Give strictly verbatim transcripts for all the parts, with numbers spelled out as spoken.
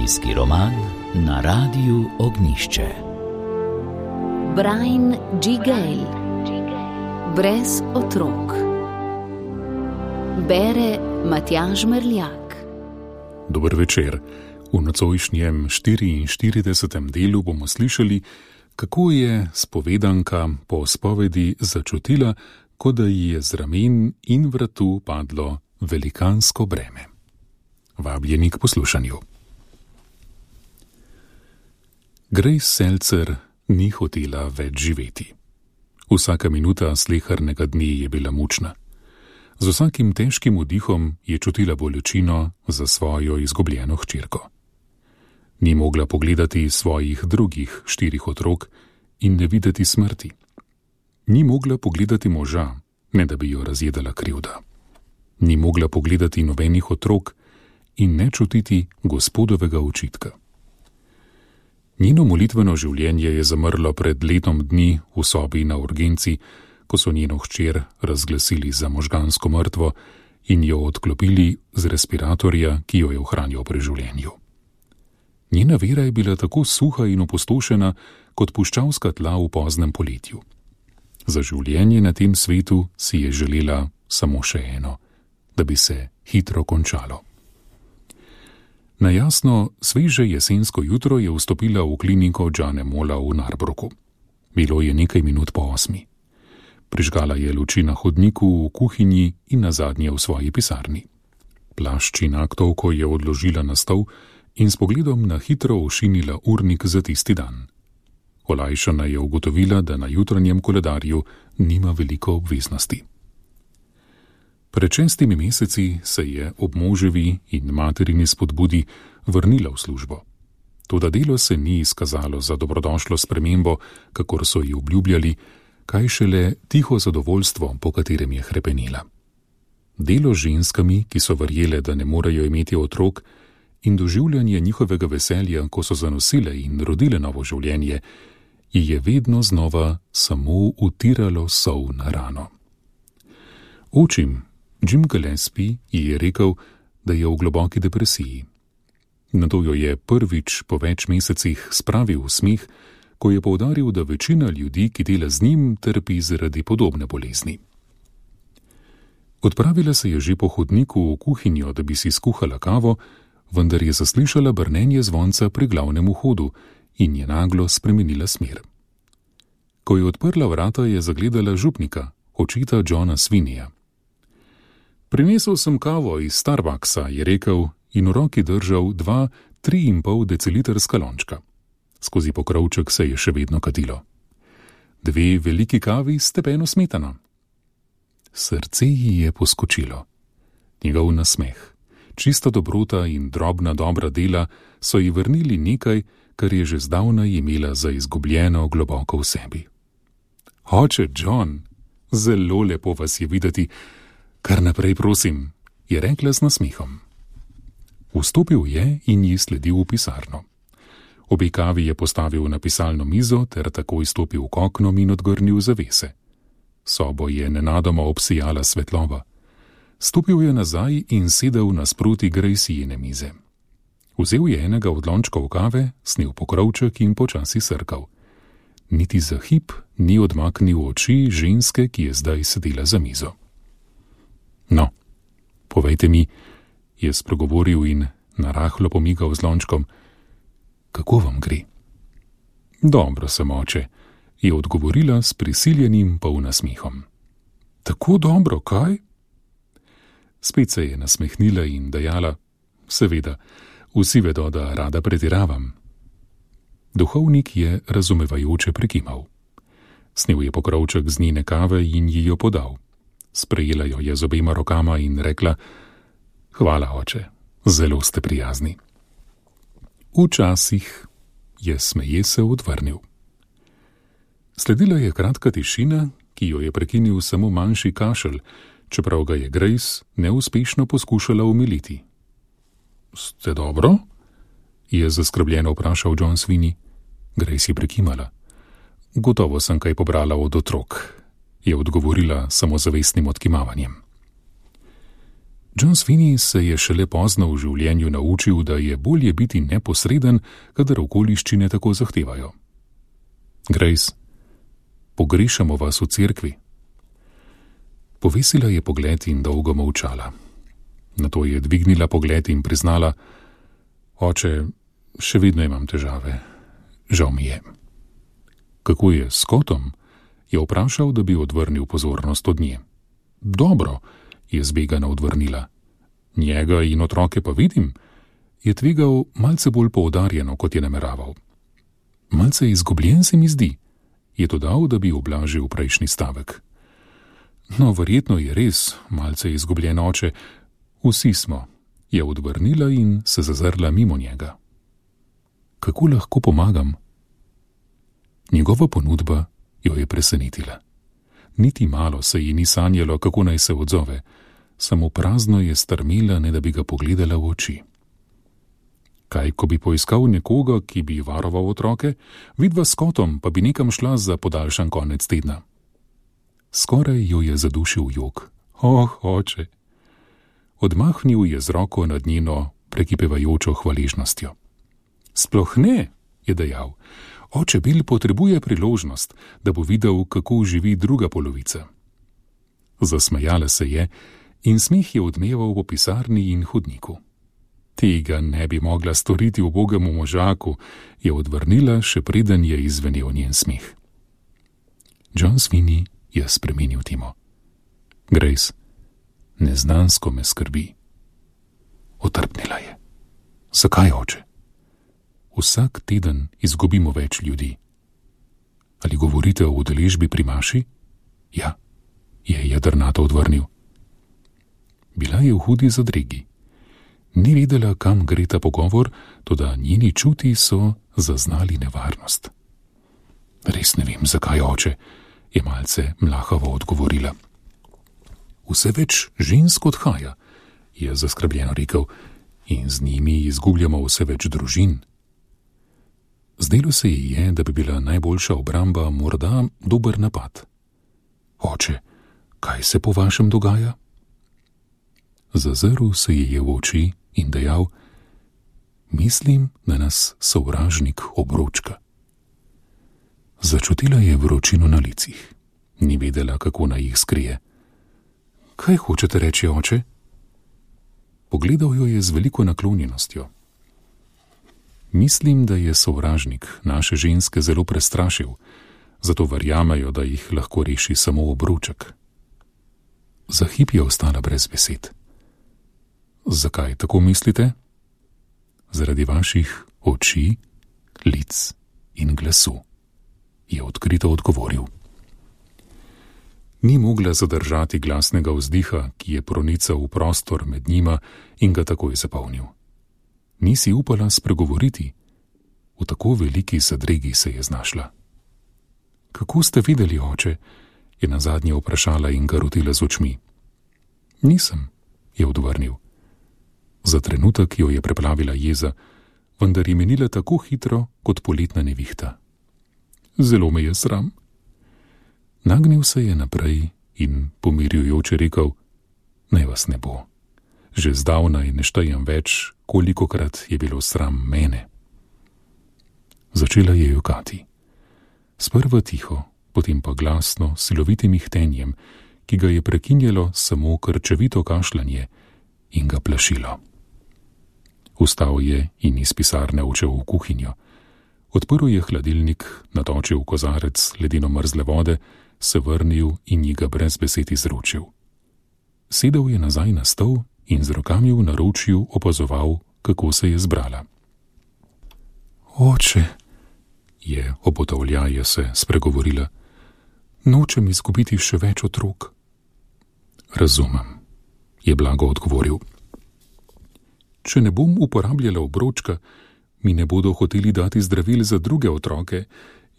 Družinski roman na Radiu Ognjišče. Brian G. Gale. Brez otrok. Bere Matjaž Merljak. Dober večer. V nocojšnjem štiriinštiridesetem delu bomo slišali, kako je spovedanka po spovedi začutila, kot da ji je z ramen in vratu padlo velikansko breme. Vabljeni k poslušanju. Grace Seltzer ni hotela več živeti. Vsaka minuta slehernega dne je bila mučna. Z vsakim težkim vdihom je čutila bolečino za svojo izgubljeno hčerko. Ni mogla pogledati svojih drugih štirih otrok in ne videti smrti. Ni mogla pogledati moža, ne da bi jo razjedala krivda. Ni mogla pogledati nobenih otrok in ne čutiti gospodovega očitka. Njeno molitveno življenje je zamrlo pred letom dni v sobi na urgenci, ko so njeno hčer razglasili za možgansko mrtvo in jo odklopili z respiratorja, ki jo je ohranjal pri življenju. Njena vera je bila tako suha in opustošena kot puščavska tla v poznem poletju. Za življenje na tem svetu si je želela samo še eno, da bi se hitro končalo. Na jasno, sveže jesensko jutro je vstopila v kliniko Jane Mola v Narbrooku. Bilo je nekaj minut po osmi. Prižgala je luči na hodniku, v kuhinji in nazadnje v svoji pisarni. Plašč in aktovko je odložila na stol in s pogledom na hitro ošinila urnik za tisti dan. Olajšana je ugotovila, da na jutranjem koledarju nima veliko obveznosti. Pred šestimi meseci se je ob moževi in materini spodbudi vrnila v službo. Toda delo se ni izkazalo za dobrodošlo spremembo, kakor so ji obljubljali, kaj šele tiho zadovoljstvo, po katerem je hrepenila. Delo z ženskami, ki so verjele, da ne morejo imeti otrok, in doživljanje njihovega veselja, ko so zanosile in rodile novo življenje, ji je vedno znova samo utiralo sol na rano. Očim, Jim Gillespie, ji je rekel, da je v globoki depresiji. Nato jo je prvič po več mesecih spravil v smeh, ko je poudaril, da večina ljudi, ki dela z njim, trpi zaradi podobne bolezni. Odpravila se je že po hodniku v kuhinjo, da bi si skuhala kavo, vendar je zaslišala brnenje zvonca pri glavnem vhodu in je naglo spremenila smer. Ko je odprla vrata, je zagledala župnika, očeta Johna Sweeneyja. Prinesel sem kavo iz Starbucksa, je rekel in v roki držal dva tri in pol decilitrska lončka. Skozi pokrovček se je še vedno kadilo. Dve veliki kavi s stepeno smetano. Srce ji je poskočilo. Njegov nasmeh, čista dobrota in drobna dobra dela so ji vrnili nekaj, kar je že zdavnaj imela za izgubljeno globoko v sebi. Oče John, zelo lepo vas je videti. Kar naprej, prosim, je rekla z nasmehom. Vstopil je in ji sledil v pisarno. Obe kavi je postavil na pisalno mizo ter takoj stopil k oknom in odgrnil zavese. Sobo je nenadoma obsijala svetloba. Stopil je nazaj in sedel nasproti Gracijine mize. Vzel je enega od lončkov kave, snel pokrovček in počasi srkal. Niti za hip ni odmaknil oči ženske, ki je zdaj sedela za mizo. No, povejte mi, je spregovoril in narahlo pomigal z lončkom, kako vam gre? Dobro sem, oče, je odgovorila s prisiljenim polnasmehom. Tako dobro, kaj? Spet se je nasmehnila in dejala, seveda, vsi vedo, da rada pretiravam. Duhovnik je razumevajoče prikimal. Snel je pokrovček z njene kave in ji jo podal. Sprejela jo je z obema rokama in rekla, hvala, oče, zelo ste prijazni. Včasih je smeje se odvrnil. Sledila je kratka tišina, ki jo je prekinil samo manjši kašelj, čeprav ga je Grace neuspešno poskušala umiliti. Ste dobro? Je zaskrbljeno vprašal John Sweeney. Grace je prekimala. Gotovo sem kaj pobrala od otrok, je odgovorila samozavestnim odkimavanjem. John Sweeney se je šele pozno v življenju naučil, da je bolje biti neposreden, kadar okoliščine tako zahtevajo. Grace, pogrešamo vas v cerkvi. Povesila je pogled in dolgo molčala. Nato je dvignila pogled in priznala: Oče, še vedno imam težave. Žal mi je. Kako je s Scottom? Je vprašal, da bi odvrnil pozornost od nje. Dobro, je zbegana odvrnila. Njega in otroke pa vidim, je tvegal malce bolj poudarjeno, kot je nameraval. Malce izgubljen se mi zdi, je dodal, da bi ublažil prejšnji stavek. No, verjetno je res malce izgubljen, oče. Vsi smo, je odvrnila in se zazrla mimo njega. Kako lahko pomagam? Njegova ponudba jo je presenetila. Niti malo se ji ni sanjalo, kako naj se odzove, samo prazno je strmela, ne da bi ga pogledala v oči. Kaj, ko bi poiskal nekoga, ki bi varoval otroke, vidva s Scottom pa bi nekam šla za podaljšan konec tedna. Skoraj jo je zadušil jok. Oh, oče! Odmahnil je z roko nad njeno prekipevajočo hvaležnostjo. Sploh ne, je dejal. Oče Bill potrebuje priložnost, da bo videl, kako živi druga polovica. Zasmejala se je in smeh je odmeval po pisarni in hodniku. Tega ne bi mogla storiti ubogemu možaku, je odvrnila, še preden je izvenel njen smeh. John Sweeney je spremenil temo. Grace, neznansko me skrbi. Otrpnila je. Zakaj, oče? Vsak teden izgubimo več ljudi. Ali govorite o udeležbi pri maši? Ja, je jedrnato odvrnil. Bila je v hudi zadregi. Ni vedela, kam gre ta pogovor, toda njeni čuti so zaznali nevarnost. Res ne vem, zakaj, oče, je malce mlahavo odgovorila. Vse več žensk odhaja, je zaskrbljeno rekel, in z njimi izgubljamo vse več družin. Zdelo se ji je, da bi bila najboljša obramba morda dober napad. Oče, kaj se po vašem dogaja? Zazrl se ji je v oči in dejal: Mislim, da nas sovražnik obročka. Začutila je vročino na licih. Ni vedela, kako naj jih skrije. Kaj hočete reči, oče? Pogledal jo je z veliko naklonjenostjo. Mislim, da je sovražnik naše ženske zelo prestrašil, zato verjamejo, da jih lahko reši samo obroček. Za hip je ostala brez besed. Zakaj tako mislite? Zaradi vaših oči, lic in glasu, je odkrito odgovoril. Ni mogla zadržati glasnega vzdiha, ki je pronical v prostor med njima in ga takoj zapolnil. Nisi upala spregovoriti, v tako veliki zadregi se je znašla. Kako ste videli, oče? Je nazadnje vprašala in ga rotila z očmi. Nisem, je odvrnil. Za trenutek jo je preplavila jeza, vendar je menila tako hitro kot poletna nevihta. Zelo me je sram. Nagnil se je naprej in pomirjujoče rekel: Naj vas ne bo. Že zdavnaj ne štejem več, kolikokrat je bilo sram mene. Začela je jokati. Sprva tiho, potem pa glasno, silovitim ihtenjem, ki ga je prekinjalo samo krčevito kašljanje in ga plašilo. Vstal je in iz pisarne odšel v kuhinjo. Odprl je hladilnik, natočil kozarec ledeno mrzle vode, se vrnil in ji ga brez besed izročil. Sedel je nazaj na stol in z rokami v naročju opazoval, kako se je zbrala. Oče, je obotavljaje se spregovorila, nočem izgubiti še več otrok. Razumem, je blago odgovoril. Če ne bom uporabljala obročka, mi ne bodo hoteli dati zdravil za druge otroke,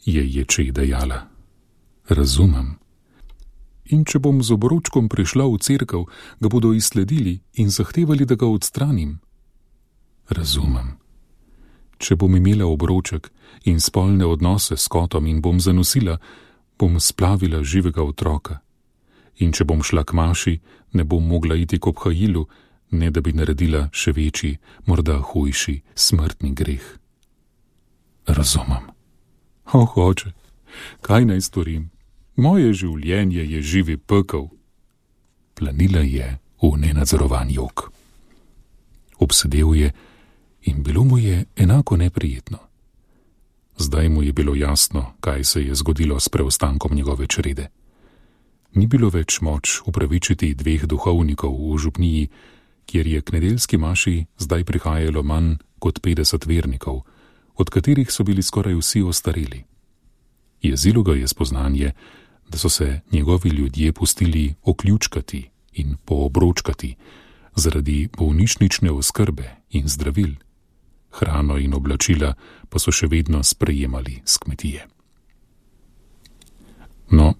je ječe dejala. Razumem. In če bom z obročkom prišla v cerkev, ga bodo izsledili in zahtevali, da ga odstranim. Razumem. Če bom imela obroček in spolne odnose s Scottom in bom zanosila, bom splavila živega otroka. In če bom šla k maši, ne bom mogla iti k obhajilu, ne da bi naredila še večji, morda hujši, smrtni greh. Razumem. Oh, oče, kaj naj storim? Moje življenje je živi pekel. Planila je v nenadzorovan jok. Obsedel je in bilo mu je enako neprijetno. Zdaj mu je bilo jasno, kaj se je zgodilo s preostankom njegove črede. Ni bilo več moč upravičiti dveh duhovnikov v župniji, kjer je k nedeljski maši zdaj prihajalo manj kot petdeset vernikov, od katerih so bili skoraj vsi ostareli. Jezilo ga je spoznanje, da so se njegovi ljudje pustili oključkati in poobročkati zaradi bolnišnične oskrbe in zdravil. Hrano in oblačila pa so še vedno sprejemali s kmetije. No,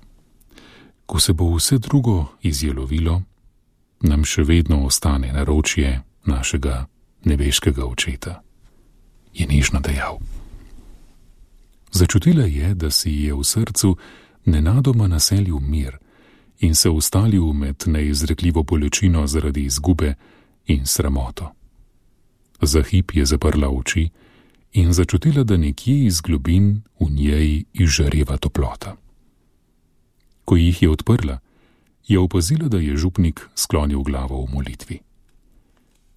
ko se bo vse drugo izjelovilo, nam še vedno ostane naročje našega nebeškega očeta, je nežno dejal. Začutila je, da si je v srcu nenadoma naselil mir in se ustalil med neizrekljivo bolečino zaradi izgube in sramoto. Za hip je zaprla oči in začutila, da nekje iz globin v njej izžareva toplota. Ko jih je odprla, je opazila, da je župnik sklonil glavo v molitvi.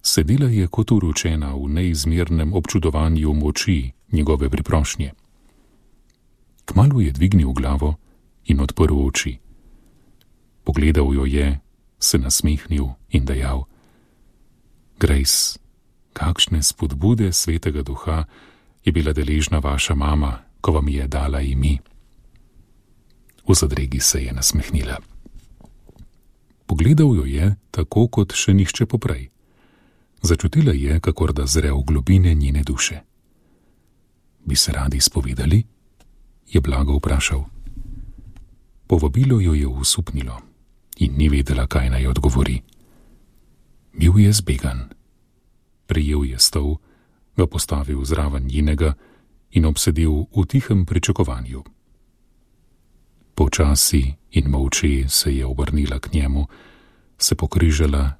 Sedela je kot uročena v neizmernem občudovanju moči njegove priprošnje. Kmalu je dvignil glavo in odprl oči. Pogledal jo je, se nasmehnil in dejal: Grace, kakšne spodbude svetega duha je bila deležna vaša mama, ko vam je dala ime. V zadregi se je nasmehnila. Pogledal jo je tako kot še nihče poprej. Začutila je, kakor da zre v globine njene duše. Bi se radi spovedali? Je blago vprašal. Povabilo jo je usupnilo in ni vedela, kaj naj odgovori. Bil je zbegan. Prijel je stol, ga postavil zraven njenega in obsedel v tihem pričakovanju. Počasi in molče se je obrnila k njemu, se pokrižala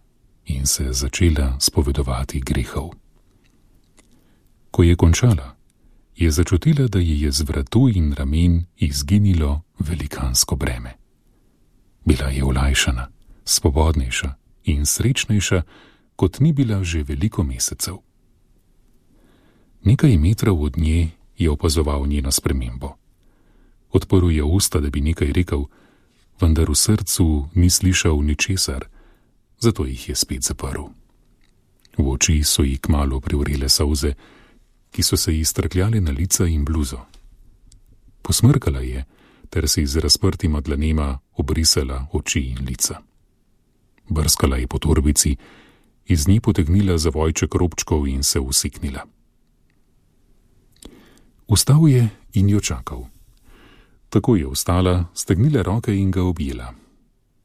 in se začela spovedovati grehov. Ko je končala, je začutila, da ji je z vratu in ramen izginilo velikansko breme. Bila je olajšana, svobodnejša in srečnejša, kot ni bila že veliko mesecev. Nekaj metrov od nje je opazoval njeno spremembo. Odprl je usta, da bi nekaj rekel, vendar v srcu ni slišal ničesar, zato jih je spet zaprl. V oči so ji kmalu privrele solze, ki so se ji strkljale na lica in bluzo. Posmrkala je, ter si z razprtima dlanema obrisala oči in lica. Brskala je po torbici, iz nje potegnila zavojček robčkov in se usiknila. Vstal je in jo čakal. Tako je vstala, stegnila roke in ga objela.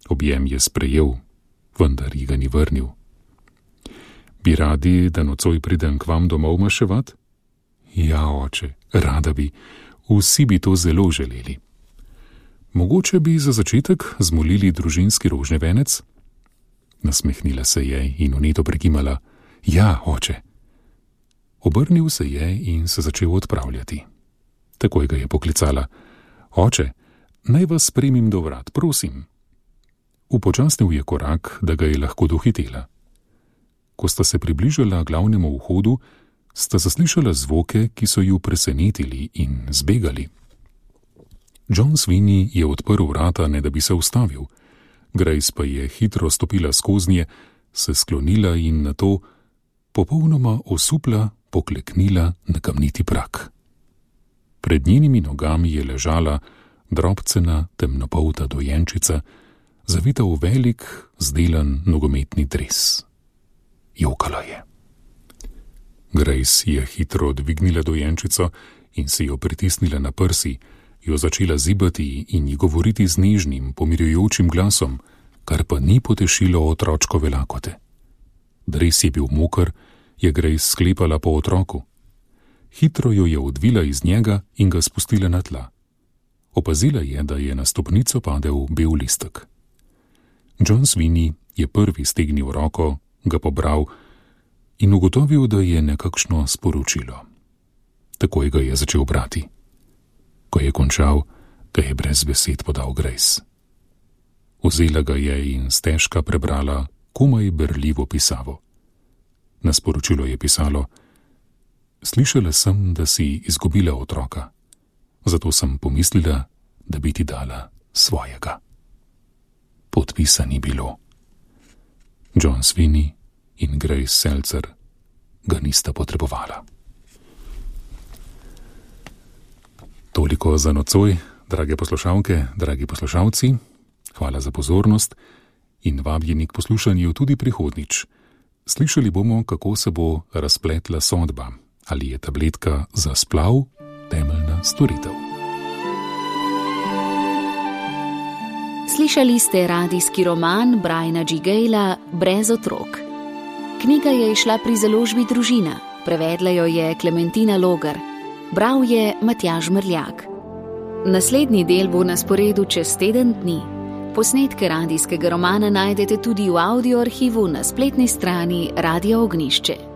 Objem je sprejel, vendar ji ga ni vrnil. Bi radi, da nocoj pridem k vam domov maševat? Ja, oče, rada bi, vsi bi to zelo želeli. Mogoče bi za začetek zmolili družinski rožni venec? Nasmehnila se je in vneto prekimala: Ja, oče. Obrnil se je in se začel odpravljati. Takoj ga je poklicala: Oče, naj vas spremim do vrat, prosim. Upočasnil je korak, da ga je lahko dohitela. Ko sta se približala glavnemu vhodu, sta zaslišala zvoke, ki so ju presenetili in zbegali. John Sweeney je odprl vrata, ne da bi se ustavil. Grace pa je hitro stopila skoznje, se sklonila in nato popolnoma osupla pokleknila na kamniti prak. Pred njenimi nogami je ležala drobcena temnopolta dojenčica, zavita v velik, zdelan nogometni dres. Jokala je. Grace je hitro dvignila dojenčico in si jo pritisnila na prsi, jo začela zibati in ji govoriti z nežnim, pomirjujočim glasom, kar pa ni potešilo otročkove lakote. Dres je bil moker, je Grace sklepala po otroku. Hitro jo je odvila iz njega in ga spustila na tla. Opazila je, da je na stopnico padel bel listek. John Sweeney je prvi stegnil roko ga pobral in ugotovil, da je nekakšno sporočilo. Takoj ga je začel brati. Ko je končal, ga je brez besed podal Grace. Vzela ga je in stežka prebrala komaj berljivo pisavo. Na sporočilo je pisalo: Slišala sem, da si izgubila otroka, zato sem pomislila, da bi ti dala svojega. Podpisa ni bilo. John Sweeney in Grace Seltzer ga nista potrebovala. Toliko za nocoj, drage poslušalke, dragi poslušalci. Hvala za pozornost in vabljeni k poslušanju tudi prihodnič. Slišali bomo, kako se bo razpletla sodba, ali je tabletka za splav temeljna storitev. Slišali ste radijski roman Briana G. Gala Brez otrok. Knjiga je izšla pri založbi Družina, prevedla jo je Klementina Logar, bral je Matjaž Mrljak. Naslednji del bo na sporedu čez teden dni. Posnetke radijskega romana najdete tudi v audio arhivu na spletni strani Radia Ognjišče.